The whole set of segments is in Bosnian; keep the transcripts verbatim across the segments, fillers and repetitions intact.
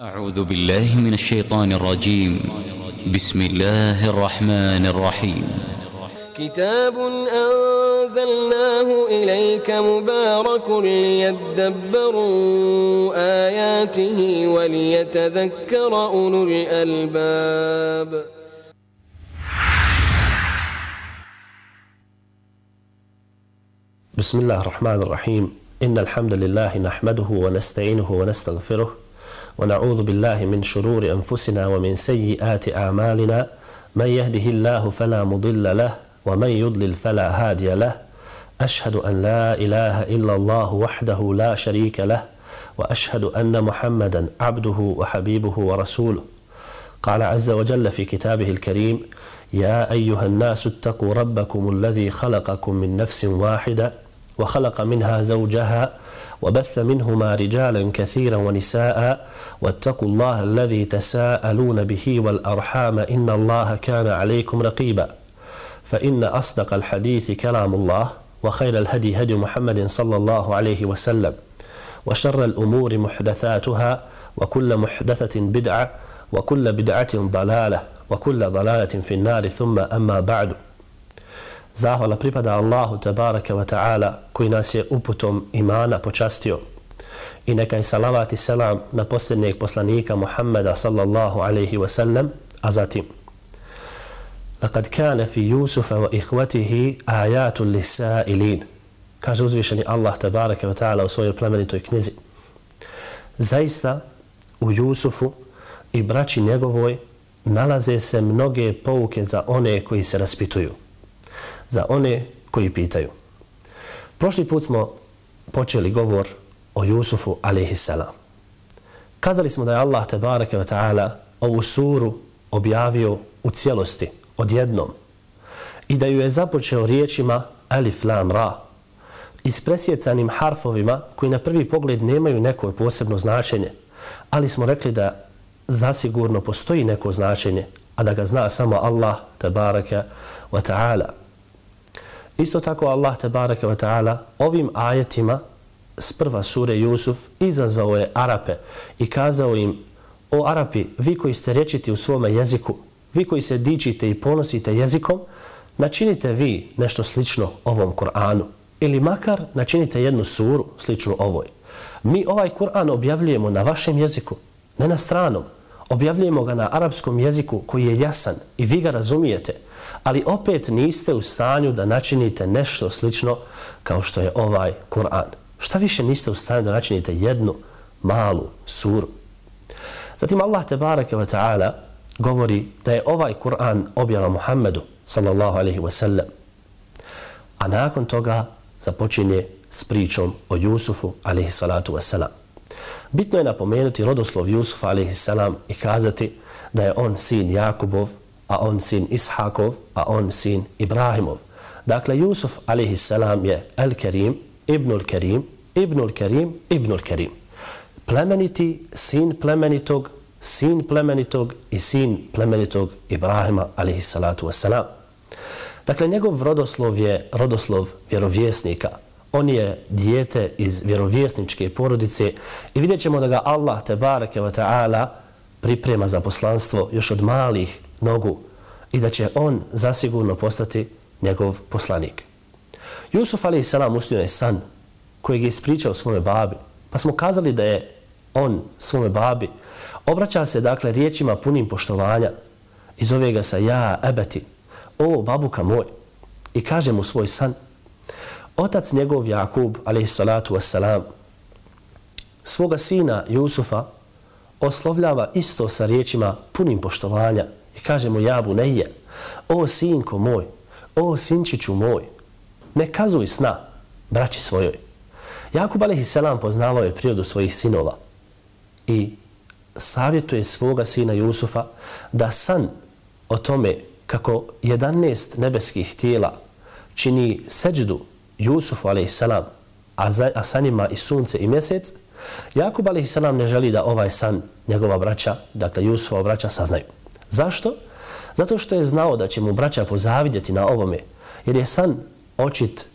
أعوذ بالله من الشيطان الرجيم بسم الله الرحمن الرحيم كتاب أنزلناه إليك مبارك ليدبروا آياته وليتذكر أولو الألباب بسم الله الرحمن الرحيم إن الحمد لله نحمده ونستعينه ونستغفره ونعوذ بالله من شرور أنفسنا ومن سيئات أعمالنا من يهده الله فلا مضل له ومن يضلل فلا هادي له أشهد أن لا إله إلا الله وحده لا شريك له وأشهد أن محمدا عبده وحبيبه ورسوله قال عز وجل في كتابه الكريم يا أيها الناس اتقوا ربكم الذي خلقكم من نفس واحدة وخلق منها زوجها وبث منهما رجالا كثيرا ونساء واتقوا الله الذي تساءلون به والأرحام إن الله كان عليكم رقيبا فإن أصدق الحديث كلام الله وخير الهدي هدي محمد صلى الله عليه وسلم وشر الأمور محدثاتها وكل محدثة بدعة وكل بدعة ضلالة وكل ضلالة في النار ثم أما بعد. Zahvala pripada Allahu tabaraka wa ta'ala koji nas je uputom imana počastio. I neka je salavat i selam na posljednjeg poslanika Muhammeda sallallahu alaihi wa sallam, a zatim لقد كان في يوسف وإخوته آيات للسائلين. Kaže uzvišeni Allah tabaraka wa ta'ala u svojoj plemenitoj knjizi. Zaista u Jusufu i braći njegovoj nalaze se mnoge pouke za one koji se raspituju, za one koji pitaju. Prošli put smo počeli govor o Jusufu alejhiselam. Kazali smo da je Allah tebareke ve taala ovu suru objavio u cijelosti, odjednom, i da ju je započeo riječima alif lam ra, ispresjecanim harfovima koji na prvi pogled nemaju neko posebno značenje, ali smo rekli da zasigurno postoji neko značenje, a da ga zna samo Allah tebareke ve taala. Isto tako Allah tebareke ve taala ovim ajetima s prva sure Jusuf izazvao je Arape i kazao im: o Arapi, vi koji ste rečiti u svome jeziku, vi koji se dičite i ponosite jezikom, načinite vi nešto slično ovom Kur'anu ili makar načinite jednu suru sličnu ovoj. Mi ovaj Kur'an objavljujemo na vašem jeziku, ne na stranom. Objavljujemo ga na arapskom jeziku koji je jasan i vi ga razumijete, ali opet niste u stanju da načinite nešto slično kao što je ovaj Kur'an. Šta više niste u stanju da načinite jednu malu suru. Zatim Allah tebareke ve taala govori da je ovaj Kur'an objava Muhammedu sallallahu alejhi ve sellem, a nakon toga započinje s pričom o Jusufu alejhi salatu ve selam. Bitno je napomenuti rodoslov Jusufa alejhiselam i kazati da je on sin Jakubov, a on sin Ishakov, a on sin Ibrahimov. Dakle, Jusuf alejhiselam je El-Kerim, Ibnul Kerim, Ibnul Kerim, Ibnul Kerim. Plemeniti, sin plemenitog, sin plemenitog i sin plemenitog Ibrahima alejhisalatu vesselam. Dakle, njegov rodoslov je rodoslov vjerovjesnika. On je dijete iz vjerovjesničke porodice i vidjet ćemo da ga Allah tebareke ve taala priprema za poslanstvo još od malih nogu i da će on zasigurno postati njegov poslanik. Jusuf alejhiselam usnio je san kojeg je ispričao svome babi, pa smo kazali da je on svome babi obraća se dakle riječima punim poštovanja i zove ga sa ja ebeti, o babuka moj, i kaže mu svoj san. Otac njegov Jakub alejhisalatu vesselam svoga sina Jusufa oslovljava isto sa riječima punim poštovanja i kaže mu ja bunejje, o sinko moj, o sinčiću moj, ne kazuj sna braći svojoj. Jakub alejhiselam poznavao je prirodu svojih sinova i savjetuje svoga sina Jusufa da san o tome kako jedanaest nebeskih tijela čini seđdu Jusufu alejhiselam, a, a sa njima i sunce i mjesec, Jakub alejhiselam ne želi da ovaj san njegova braća, dakle Jusufova braća, saznaju. Zašto? Zato što je znao da će mu braća pozavidjeti na ovome, jer je san očit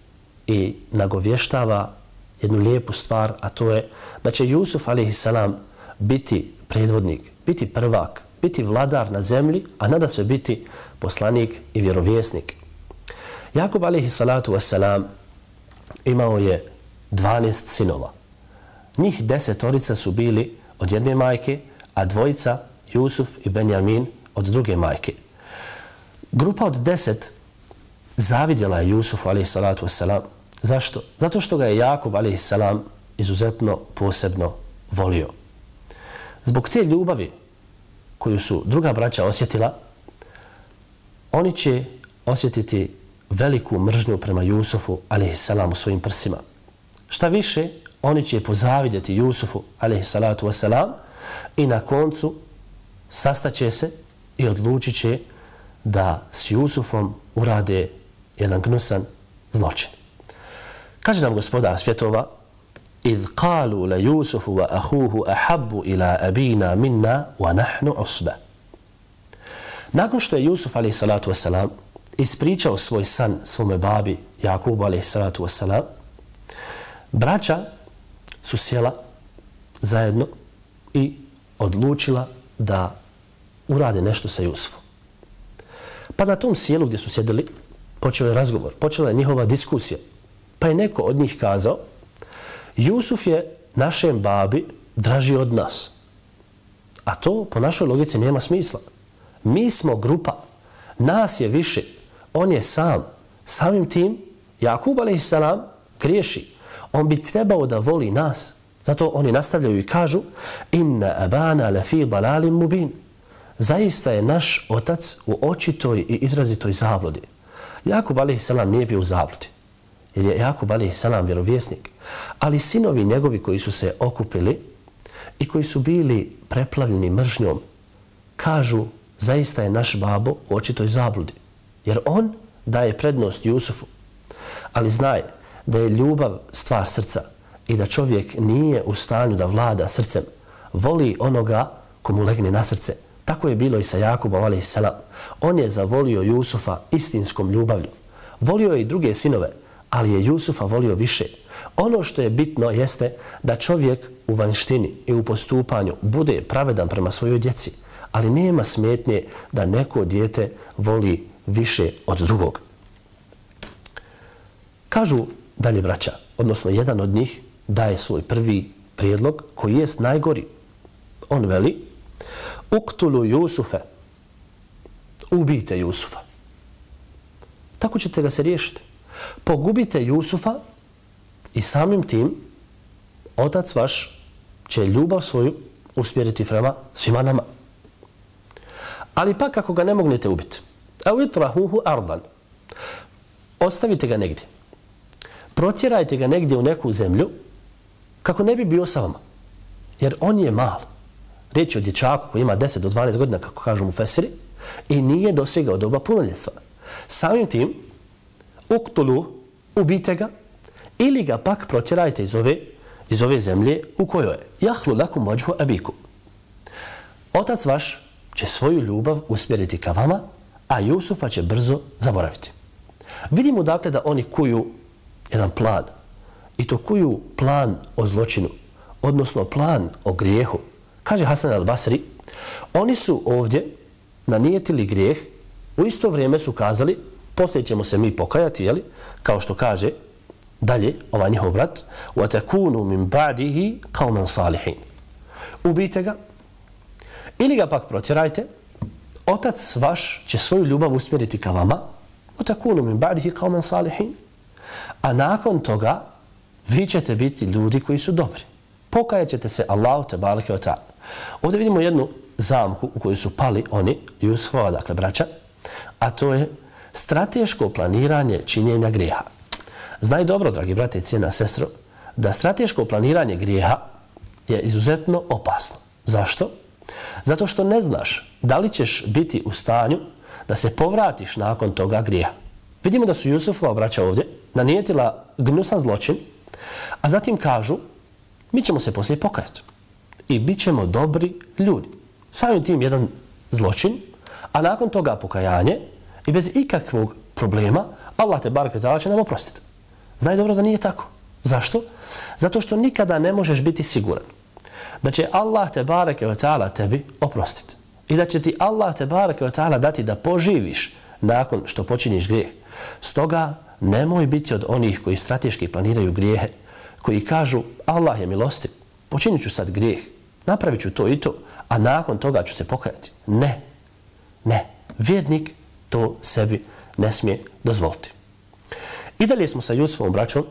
i nagovještava jednu lijepu stvar, a to je da će Jusuf alejhiselam biti predvodnik, biti prvak, biti vladar na zemlji, a nadasve biti poslanik i vjerovjesnik. Jakub alejhi salatu vesselam imao je dvanaest sinova. Njih desetorica su bili od jedne majke, a dvojica, Jusuf i Benjamin, od druge majke. Grupa od deset zavidjela je Jusufu alejhi salatu vesselam. Zašto? Zato što ga je Jakub alejhi salam izuzetno posebno volio. Zbog te ljubavi koju su druga braća osjetila, oni će osjetiti veliku mržnju prema Jusufu alejhi salam u svojim prsima. Šta više, oni će pozavidjeti Jusufu alejhi salatu vesselam i na koncu sastaće se i odlučit će da s Jusufom urade jedan gnusan zločin. Kaže nam gospodar svjetova: إذ قالوا ليوسف وأخوه أحب إلى أبينا منا ونحن عصبة. Nakon što je Jusuf alejhi salatu vesselam ispričao svoj san svome babi Jakubu alejhi salatu vesselam, braća su sjela zajedno i odlučila da urade nešto sa Jusufom. Pa na tom sjelu gdje su sjedili počeo je razgovor, počela je njihova diskusija. Pa je neko od njih kazao: Jusuf je našem babi draži od nas. A to po našoj logici nema smisla. Mi smo grupa, nas je više, on je sam. Samim tim, Jakub alejhi salam griješi. On bi trebao da voli nas. Zato oni nastavljaju i kažu: Inna abana lafi dalalin mubin. Zaista je naš otac u očitoj i izrazitoj zabludi. Jakub alejhi salam nije bio u zabludi, jer je Jakub alejhi salam vjerovjesnik. Ali sinovi njegovi koji su se okupili i koji su bili preplavljeni mržnjom, kažu: zaista je naš babo u očitoj zabludi, jer on daje prednost Jusufu. Ali znaj da je ljubav stvar srca i da čovjek nije u stanju da vlada srcem. Voli onoga komu legne na srce. Tako je bilo i sa Jakubom alejhi salam. On je zavolio Jusufa istinskom ljubavlju. Volio je i druge sinove, ali je Jusufa volio više. Ono što je bitno jeste da čovjek u vanštini i u postupanju bude pravedan prema svojoj djeci, ali nema smetnje da neko dijete voli više od drugog. Kažu dalje braća, odnosno jedan od njih daje svoj prvi prijedlog koji jest najgori. On veli: Uktulu Jusufe, ubijte Jusufa. Tako ćete ga se riješiti. Pogubite Jusufa i samim tim otac vaš će ljubav svoju usmjeriti prema svima nama. Ali pa kako ga ne mognete ubiti, a utrahuhu ardan, ostavite ga negdje. Protjerajte ga negdje u neku zemlju kako ne bi bio sa vama. Jer on je mal. Riječ je o dječaku koji ima deset do dvanaest godina, kako kažu mu fesiri, i nije dosegao doba punoljetstva. Samim tim, uktulu, ubijte ga, ili ga pak protjerajte iz ove, iz ove zemlje u kojoj je. Jahlu lakum vajhu abikum. Otac vaš će svoju ljubav usmjeriti ka vama, a Jusufa će brzo zaboraviti. Vidimo dakle da oni kuju jedan plan. I to kuju plan o zločinu, odnosno plan o grijehu. Kaže Hasan al-Basri, oni su ovdje nanijetili grijeh, u isto vrijeme su kazali: poslije ćemo se mi pokajati, jeli? Kao što kaže dalje ovaj njihov brat: وَتَكُونُ مِنْ بَعْدِهِ قَوْمًا صَالِحِينَ. Ubijte ga ili ga pak protjerajte, otac vaš će svoju ljubav usmjeriti ka vama, وَتَكُونُ مِنْ بَعْدِهِ قَوْمًا صَالِحِينَ. A nakon toga vi ćete biti ljudi koji su dobri. Pokajat ćete se Allahu te bareke ve taala. Ovdje vidimo jednu zamku u kojoj su pali oni, Jusufova, dakle braća, a to je strateško planiranje činjenja grijeha. Znaj dobro, dragi brate i cijena sestro, da strateško planiranje grijeha je izuzetno opasno. Zašto? Zato što ne znaš da li ćeš biti u stanju da se povratiš nakon toga grijeha. Vidimo da su Jusufova braća ovdje nanijetila gnusan zločin, a zatim kažu: mi ćemo se poslije pokajati i bit ćemo dobri ljudi. Samim tim jedan zločin, a nakon toga pokajanje i bez ikakvog problema Allah te bareke taala će nam oprostiti. Znaj dobro da nije tako. Zašto? Zato što nikada ne možeš biti siguran da će Allah te bareke ve taala tebi oprostiti i da će ti Allah te bareke ve taala dati da poživiš nakon što počiniš grijeh. Stoga nemoj biti od onih koji strateški planiraju grijehe, koji kažu Allah je milostiv, počinit ću sad grijeh, napravit ću to i to, a nakon toga ću se pokajati. Ne, ne, vjernik to sebi ne smije dozvoliti. I dalje smo sa Jusufovom braćom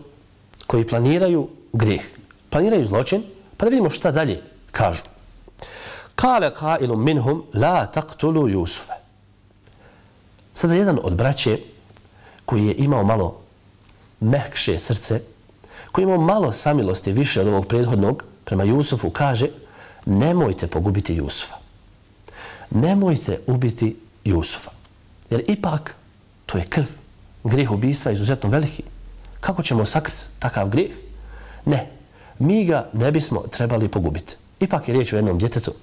koji planiraju grijeh, planiraju zločin, pa da vidimo šta dalje kažu. Kale qailun minhum la taqtulu Jusufa. Sada jedan od braće koji je imao malo mekše srce, koji je imao malo samilosti više od ovog prethodnog prema Jusufu, kaže nemojte pogubiti Jusufa. Nemojte ubiti Jusufa. Jer ipak to je krv. Grijeh ubijstva je izuzetno veliki. Kako ćemo sakriti takav grijeh? Ne, mi ga ne bismo trebali pogubiti. Ipak je riječ o jednom djetetu.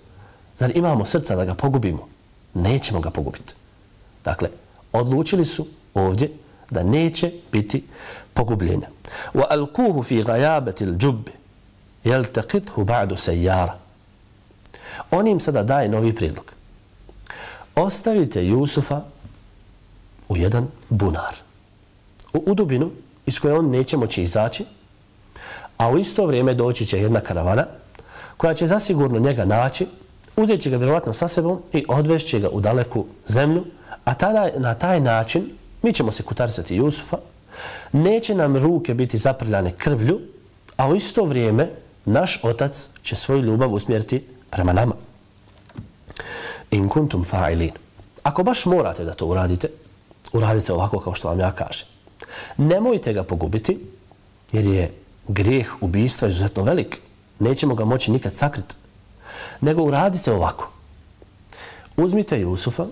Zar imamo srca da ga pogubimo? Nećemo ga pogubiti. Dakle, odlučili su ovdje da neće biti pogubljenja. Wa alquhu fi ghayabati al-jubb yaltaqithu ba'du sayyara. On im sada daje novi prijedlog. Ostavite Jusufa u jedan bunar, u udubinu iz koje on neće moći izaći, a u isto vrijeme doći će jedna karavana koja će zasigurno njega naći, uzet će ga vjerovatno sa sebom i odvešće ga u daleku zemlju, a tada na taj način mi ćemo se kutarisati Jusufa, neće nam ruke biti zaprljane krvlju, a u isto vrijeme naš otac će svoju ljubav usmjeriti prema nama. In kuntum fa'ilin. Ako baš morate da to uradite, uradite ovako kao što vam ja kažem. Nemojte ga pogubiti, jer je grijeh ubijstva izuzetno velik. Nećemo ga moći nikad sakriti. Nego uradite ovako. Uzmite Jusufa,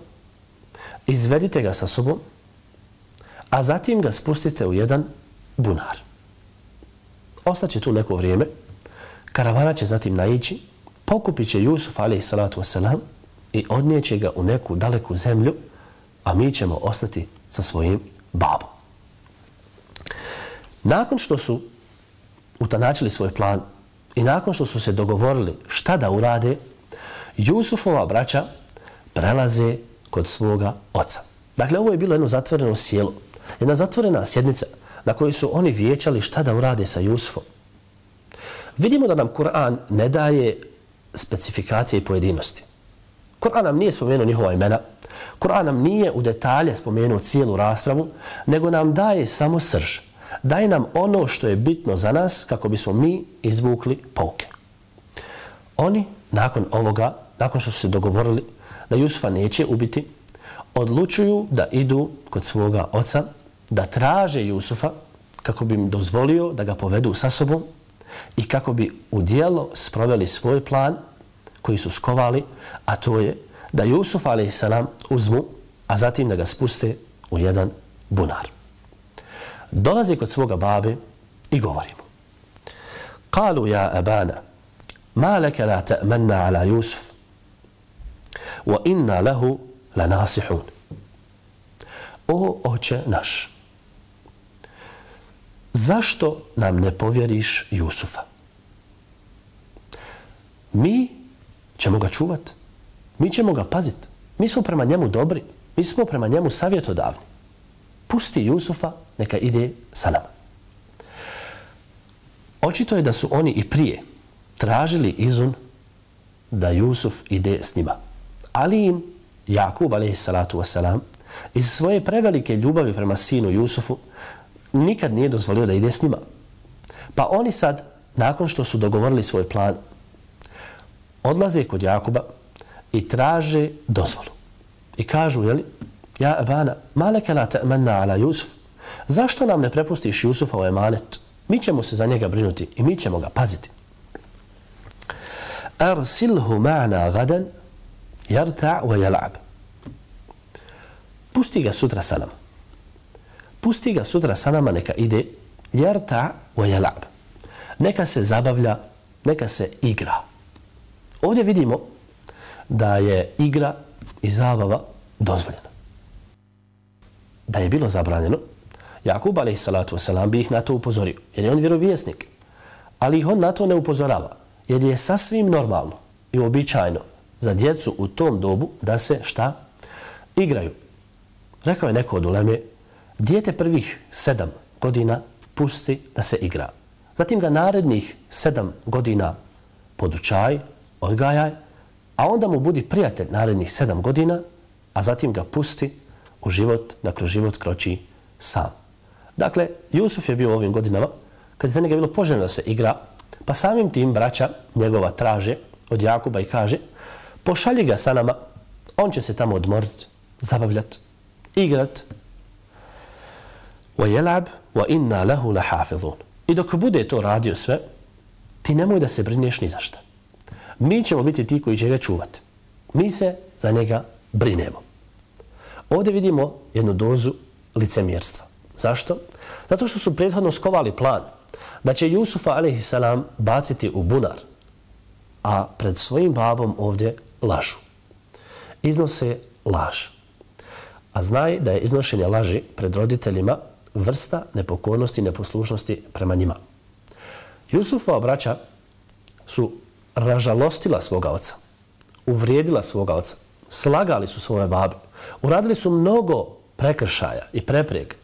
izvedite ga sa sobom, a zatim ga spustite u jedan bunar. Ostaće tu neko vrijeme, karavana će zatim naići, pokupit će Jusuf alejhi salatu vesselam i odnijeće ga u neku daleku zemlju, a mi ćemo ostati sa svojim babom. Nakon što su utanačili svoj plan i nakon što su se dogovorili šta da urade, Jusufova braća prelaze kod svoga oca. Dakle, ovo je bilo jedno zatvoreno sjelo, jedna zatvorena sjednica na kojoj su oni vijećali šta da urade sa Jusufom. Vidimo da nam Kur'an ne daje specifikacije i pojedinosti. Kur'an nam nije spomenuo njihova imena, Kur'an nam nije u detalje spomenuo cijelu raspravu, nego nam daje samo srž. Daje nam ono što je bitno za nas kako bismo mi izvukli pouke. Oni nakon ovoga, nakon što su se dogovorili da Jusufa neće ubiti, odlučuju da idu kod svoga oca, da traže Jusufa kako bi im dozvolio da ga povedu sa sobom i kako bi u djelo sproveli svoj plan koji su skovali, a to je da Jusuf alejhiselam uzmu, a zatim da ga spuste u jedan bunar. Dolazi kod svoga babe i govori mu: Kalu ja abana, ma leke la ta'manna ala Jusuf, wa inna lahu la nasihun. O oče naš, zašto nam ne povjeriš Jusufa? Mi ćemo ga čuvati, mi ćemo ga paziti, mi smo prema njemu dobri, mi smo prema njemu savjetodavni. Pusti Jusufa, neka ide sa nama. Očito je da su oni i prije tražili izun da Jusuf ide s njima. Ali im Jakub alejhi salatu vesselam iz svoje prevelike ljubavi prema sinu Jusufu nikad nije dozvolio da ide s njima. Pa oni sad, nakon što su dogovorili svoj plan, odlaze kod Jakuba i traže dozvolu. I kažu, jeli, ja abana, ma leke la ta'manna ala Jusuf, zašto nam ne prepustiš Jusufa u emanet? Mi ćemo se za njega brinuti i mi ćemo ga paziti. Arsilhu ma'na gadan yarta' wa yal'ab. Pusti ga sutra sa nama. Pusti ga sutra sa nama, neka ide yarta' wa yal'ab. Neka se zabavlja, neka se igra. Ovdje vidimo da je igra i zabava dozvoljena. Da je bilo zabranjeno, Jakub alejhi salatu vesselam bi ih na to upozorio, jer je on vjerovjesnik. Ali ih on na to ne upozorava, jer je sasvim normalno i uobičajeno za djecu u tom dobu da se šta? Igraju. Rekao je neko od uleme, dijete prvih sedam godina pusti da se igra. Zatim ga narednih sedam godina podučaj, odgajaj, a onda mu budi prijatelj narednih sedam godina, a zatim ga pusti u život, da kroz život kroči sam. Dakle, Jusuf je bio u ovim godinama, kad je za njega bilo poželjno da se igra, pa samim tim braća njegova traže od Jakuba i kaže, pošalji ga sa nama, on će se tamo odmoriti, zabavljati, igrat. وَيَلَعْبْ وَإِنَّا لَهُ لَحَافِظُونَ. I dok bude to radio sve, ti nemoj da se brineš ni za šta. Mi ćemo biti ti koji će ga čuvati. Mi se za njega brinemo. Ovdje vidimo jednu dozu licemjerstva. Zašto? Zato što su prethodno skovali plan da će Jusufa alejhi selam baciti u bunar, a pred svojim babom ovdje lažu. Iznose laž. A znaj da je iznošenje laži pred roditeljima vrsta nepokornosti i neposlušnosti prema njima. Jusufova braća su ražalostila svoga oca, uvrijedila svoga oca, slagali su svoje babe, uradili su mnogo prekršaja i prepreg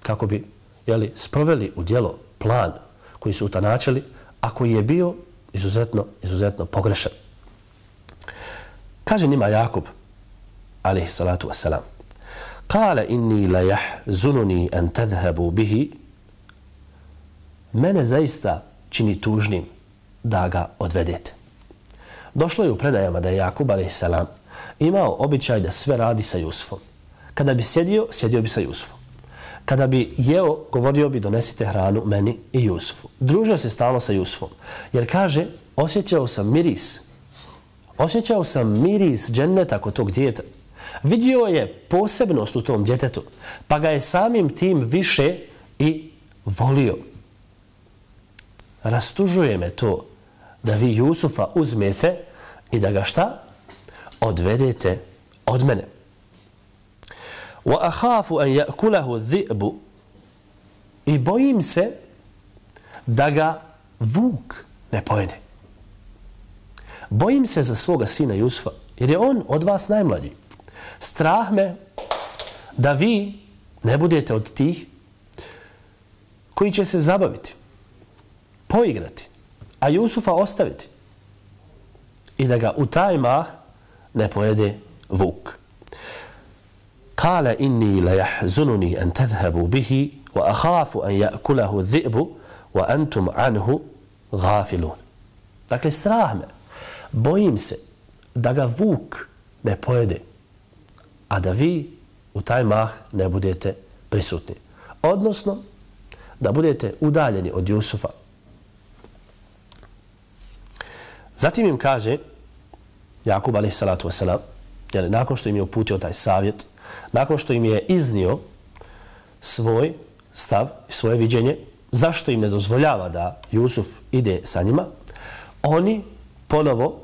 kako bi jeli, sproveli u djelo plan koji su utanačili, a koji je bio izuzetno, izuzetno pogrešan. Kaže njima Jakub, alejhi salatu wassalam, Kale inni la jahzununi an tadhhabu bihi. Mene zaista čini tužnim da ga odvedete. Došlo je u predajama da je Jakub alejhi selam imao običaj da sve radi sa Jusufom. Kada bi sjedio, sjedio bi sa Jusufom. Kada bi jeo, govorio bi donesite hranu meni i Jusufu. Družio se stalno sa Jusufom. Jer kaže, osjećao sam miris. Osjećao sam miris dženneta kod tog djeta. Vidio je posebnost u tom djetetu, pa ga je samim tim više i volio. Rastužuje me to da vi Jusufa uzmete i da ga šta? Odvedete od mene. وَأَخَافُ أَنْ يَأْكُلَهُ الذِّئْبُ. I bojim se da ga vuk ne pojede. Bojim se za svoga sina Jusufa, jer je on od vas najmlađi. Strah me da vi ne budete od tih koji će se zabaviti, poigrati, a Jusufa ostaviti i da ga u taj mah ne pojede vuk. Kale inni la jahzununi an tadhhabu bihi wa akhafu an ya'kulahu dhi'bu wa antum anhu ghafilun. Dakle, strah me, bojim se da ga vuk ne pojede, a da vi u taj mah ne budete prisutni. Odnosno, da budete udaljeni od Jusufa. Zatim im kaže Jakub alejhi salatu vesselam, jer nakon što im je uputio taj savjet, nakon što im je iznio svoj stav i svoje viđenje, zašto im ne dozvoljava da Jusuf ide sa njima, oni ponovo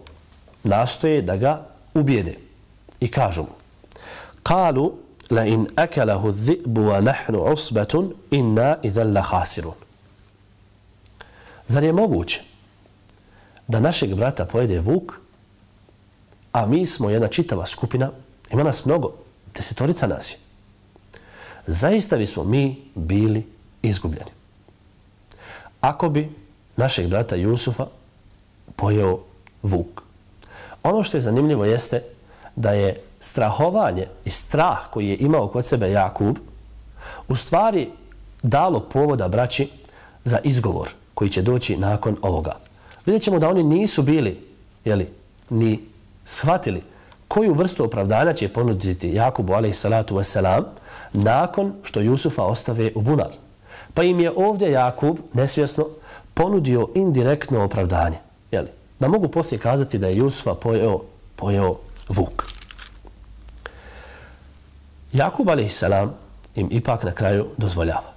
nastoje da ga ubijede i kažu mu: Kalu la in akalahu dhi'bu wa nahnu usbatun inna idhan la khasirun. Zar je moguće da našeg brata pojede vuk, a mi smo jedna čitava skupina, ima nas mnogo, desetorica nas je. Zaista bismo mi bili izgubljeni. Ako bi našeg brata Jusufa pojeo vuk. Ono što je zanimljivo jeste da je strahovanje i strah koji je imao kod sebe Jakub u stvari dalo povoda braći za izgovor koji će doći nakon ovoga. Vidjet ćemo da oni nisu bili jeli, ni shvatili koju vrstu opravdanja će ponuditi Jakubu alejhi salatu vesselam nakon što Jusufa ostave u bunar. Pa im je ovdje Jakub nesvjesno ponudio indirektno opravdanje. Jeli, da mogu poslije kazati da je Jusufa pojeo, pojeo vuk. Jakub alejhi salam im ipak na kraju dozvoljava.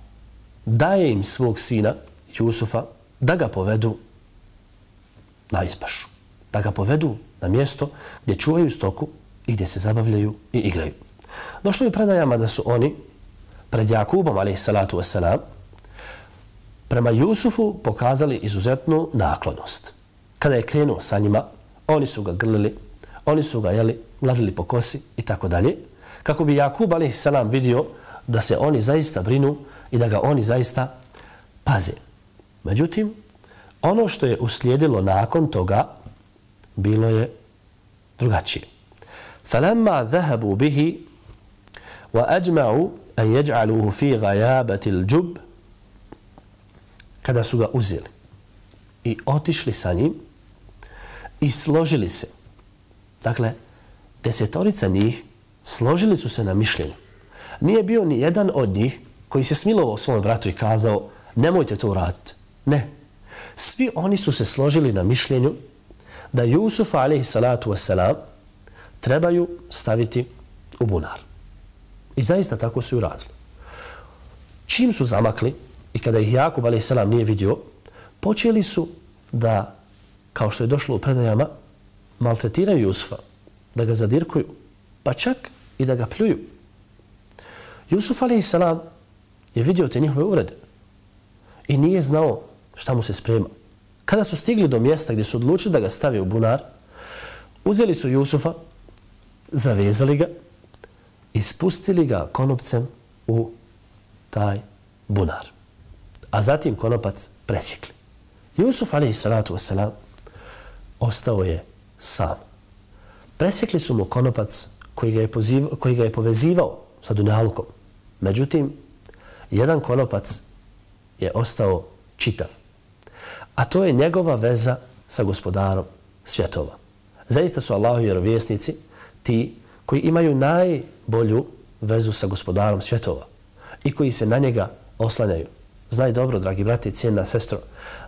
Daje im svog sina Jusufa da ga povedu na ispašu. Da ga povedu na mjesto gdje čuvaju stoku i gdje se zabavljaju i igraju. Došlo je predajama da su oni pred Jakubom alejhi salatu vesselam prema Jusufu pokazali izuzetnu naklonost. Kada je krenuo sa njima, oni su ga grlili, oni su ga jeli, gladili po kosi i tako dalje, kako bi Jakub alejhi selam vidio da se oni zaista brinu i da ga oni zaista paze. Međutim, ono što je uslijedilo nakon toga bilo je drugačije. فَلَمَّا ذَهَبُوا بِهِ وَأَجْمَعُوا أَنْ يَجْعَلُوهُ فِي غَيَابَةِ الْجُبِّ kada su ga uzeli i otišli sa njim i složili se. Dakle, desetorica njih složili su se na mišljenju. Nije bio ni jedan od njih koji se smilovao svom bratu i kazao nemojte to uraditi. Ne. Svi oni su se složili na mišljenju da Jusuf alejhi salatu vesselam trebaju staviti u bunar. I zaista tako su i uradili. Čim su zamakli i kada ih Jakub alejhi selam nije vidio, počeli su da, kao što je došlo u predajama, maltretiraju Jusufa, da ga zadirkuju, pa čak i da ga pljuju. Jusuf alejhi selam je vidio te njihove uvrede i nije znao šta mu se sprema. Kada su stigli do mjesta gdje su odlučili da ga stave u bunar, uzeli su Jusufa, zavezali ga i spustili ga konopcem u taj bunar. A zatim konopac presjekli. Jusuf alejhi salatu vesselam ostao je sam. Presjekli su mu konopac koji ga je, poziv, koji ga je povezivao sa dunjalukom. Međutim, jedan konopac je ostao čitav. A to je njegova veza sa gospodarom svjetova. Zaista su Allahovi vjerovjesnici ti koji imaju najbolju vezu sa gospodarom svjetova i koji se na njega oslanjaju. Znaj dobro, dragi brati i cijena sestro,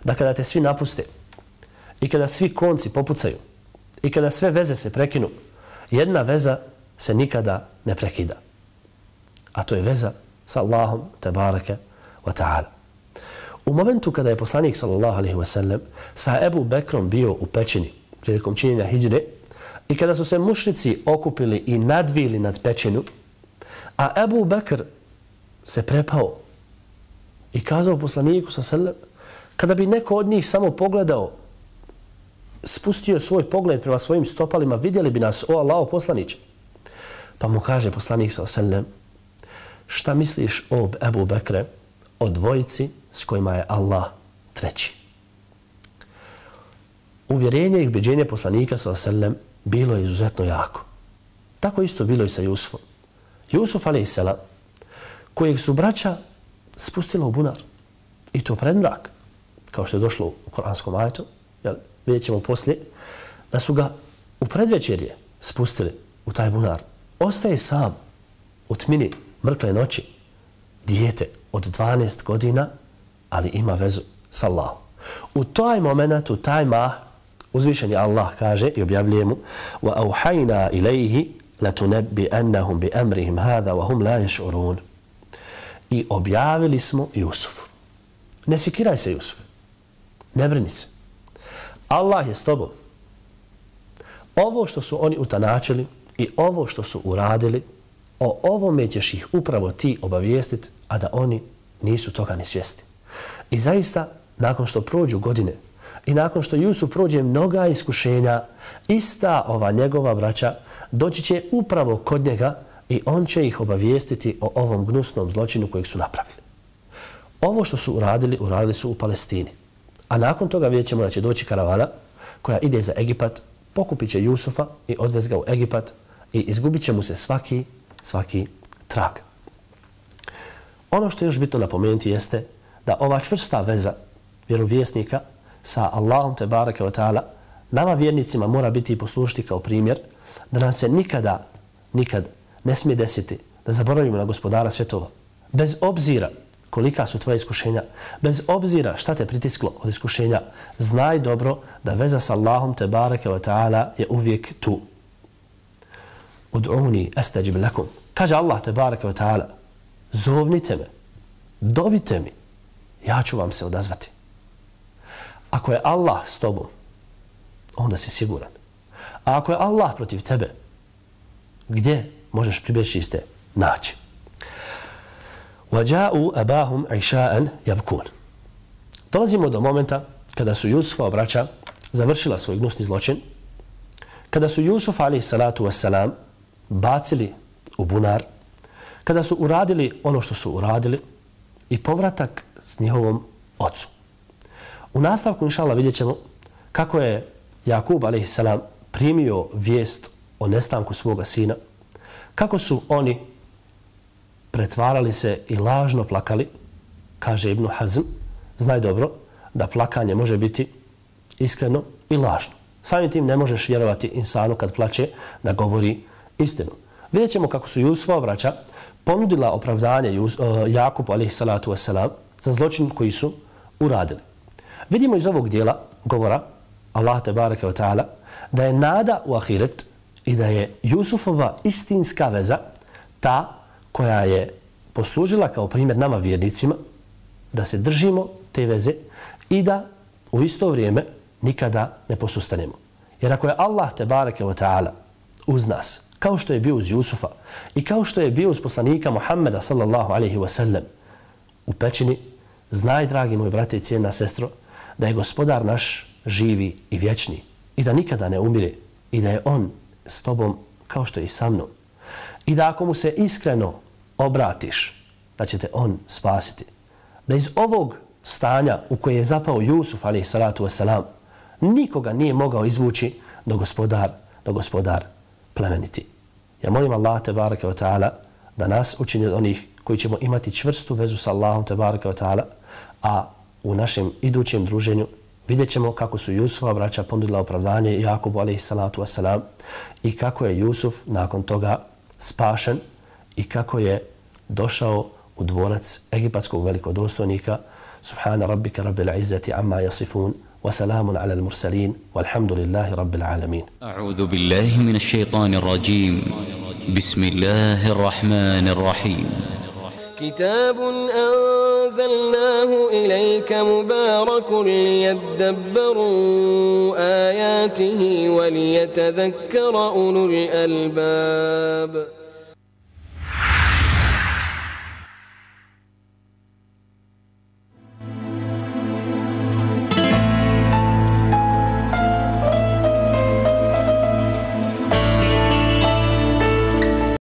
da kada te svi napuste i kada svi konci popucaju i kada sve veze se prekinu, jedna veza se nikada ne prekida. A to je veza sa Allahom tebareke wa ta'ala. U momentu kada je poslanik sallallahu alejhi ve sellem sa Ebu Bekrom bio u pećini prilikom činjenja hidžre i kada su se mušrici okupili i nadvili nad pećinu, a Ebu Bekr se prepao i kazao poslaniku sallallahu alejhi ve sellem, kada bi neko od njih samo pogledao, spustio svoj pogled prema svojim stopalima, vidjeli bi nas, o Allaho poslaniče. Pa mu kaže poslanik sallallahu alejhi ve sellem, šta misliš o Ebu Bekre, o dvojici s kojima je Allah treći? Uvjerenje i ubeđenje poslanika sallallahu alejhi ve sellem bilo je izuzetno jako. Tako isto bilo i sa Jusufom. Jusuf alejhi selam, kojeg su braća spustila u bunar, i to pred mrak, kao što je došlo u kuranskom ajetu, jel, vidjet ćemo poslije, da su ga u predvečerje spustili u taj bunar. Ostaje sam u tmini mrkle noći, dijete od dvanaest godina, ali ima vezu s Allahom. U taj moment, u taj mah, uzvišeni Allah kaže i objavljuje mu وَأَوْحَيْنَا إِلَيْهِ لَتُنَبِّئَنَّهُمْ بِأَمْرِهِمْ هَذَا وَهُمْ لَا يَشْعُرُونَ. I objavili smo Jusufu. Ne sikiraj se, Jusuf. Ne brini se. Allah je s tobom. Ovo što su oni utanačili i ovo što su uradili, o ovome ćeš ih upravo ti obavijestiti, a da oni nisu toga ni svjesni. I zaista, nakon što prođu godine i nakon što Jusuf prođe mnoga iskušenja, ista ova njegova braća doći će upravo kod njega i on će ih obavijestiti o ovom gnusnom zločinu kojeg su napravili. Ovo što su uradili, uradili su u Palestini. A nakon toga vidjet ćemo da će doći karavana koja ide za Egipat, pokupit će Jusufa i odvez ga u Egipat i izgubit će mu se svaki, svaki trag. Ono što je još bitno napomenuti jeste da ova čvrsta veza vjerovjesnika sa Allahom te bareke ve taala nama vjernicima mora biti i poslužiti kao primjer da nam se nikada, nikad ne smije desiti da zaboravimo na gospodara svjetova. Bez obzira kolika su tvoje iskušenja, bez obzira šta te pritisklo od iskušenja, znaj dobro da veza sa Allahom te bareke ve taala je uvijek tu. Ud'uni astajib lakum. Kaže Allah te bareke ve taala, zovnite me, dovite mi, ja ću vam se odazvati. Ako je Allah s tobom, onda si siguran. A ako je Allah protiv tebe, gdje možeš pribjeći iste naći? وَجَاءُوا أَبَاهُمْ عِشَاءً يَبْكُونَ. Dolazimo do momenta kada su Jusufova braća završila svoj gnusni zločin, kada su Jusuf alejhi salatu vesselam bacili u bunar, kada su uradili ono što su uradili i povratak s njihovom ocu. U nastavku, inšallah, vidjet ćemo kako je Jakub alejhi salam primio vijest o nestanku svoga sina, kako su oni pretvarali se i lažno plakali. Kaže Ibn Hazm, znaj dobro da plakanje može biti iskreno i lažno. Samim tim ne možeš vjerovati insanu kad plače da govori istinu. Vidjet ćemo kako su Jusufova braća ponudila opravdanje Jakubu alejhi salatu vesselam za zločin koji su uradili. Vidimo iz ovog dijela govora Allah tebareke ve taala da je nada u ahiret i da je Jusufova istinska veza ta koja je poslužila kao primjer nama vjernicima da se držimo te veze i da u isto vrijeme nikada ne posustanemo. Jer ako je Allah tebareke ve taala uz nas, kao što je bio uz Jusufa i kao što je bio uz poslanika Muhammeda sallallahu alejhi ve sellem u pećini, znaj, dragi moji brate i cijena sestro, da je gospodar naš živi i vječni i da nikada ne umire i da je on s tobom kao što je i sa mnom. I da ako mu se iskreno obratiš, da će te on spasiti. Da iz ovog stanja u koje je zapao Jusuf alejhi salatu vesselam nikoga nije mogao izvući do gospodar, do gospodar plemeniti. Ja molim Allah tebareke ve taala da nas učini od onih koji ćemo imati čvrstu vezu sa Allahom tebareke ve taala, a u našem idućem druženju vidjet ćemo kako su Jusufova braća ponudila opravdanje Jakubu alejhi salatu vesselam i kako je Jusuf nakon toga spašen i kako je došao u dvorac egipatskog velikodostojnika. Subhana rabbika rabbil izzati amma yasifun wa salamun ala al-mursalin walhamdulillahi rabbil alamin. A'udhu billahi minash shaitanir rajim. Bismillahir rahmanir rahim. كتاب أنزلناه إليك مبارك ليدبروا آياته وليتذكر أولو الألباب